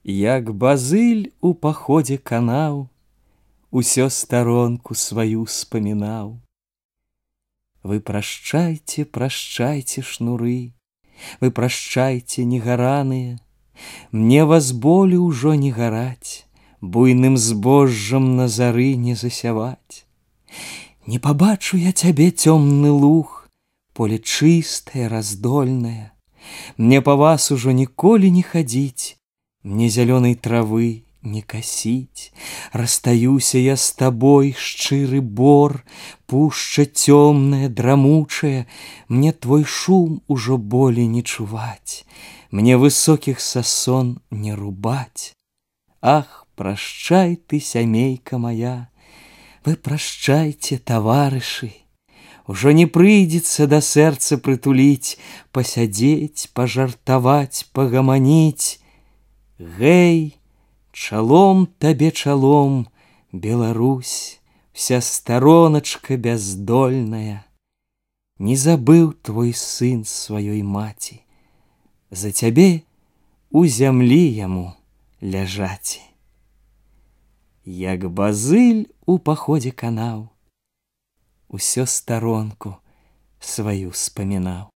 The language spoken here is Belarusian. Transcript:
Як базыль у паходзе канаў, усё старонку сваю спамінаў. Вы прашчайце, прашчайце, шнуры, вы прашчайце, негараныя, мне вас болю ўжо не гараць, буйным збожжам на зары не засяваць. Не пабачу я цябе, цёмны луг, поле чыстае, раздольнае, мне па вас ужо ніколі не хадзіць, мне зялёнай травы не касіць. Расстаюся я з табой, шчыры бор, пушча цёмная, драмучая, мне твой шум ужо болей не чуваць, мне высокіх сасон не рубаць. Ах, прашчай ты, сямейка моя, вы прашчайце, таварышы, ужо не прыйдзецца да сэрца прытуліць, пасядзець, пажартаваць, пагаманіць. Гэй, чалом табе чалом, Беларусь, вся стороночка бяздольная. Не забыў твой сын сваёй маці, за цябе у зямлі яму ляжаці. Як базыль у паходзе канаў, усё старонку сваю спамінаў.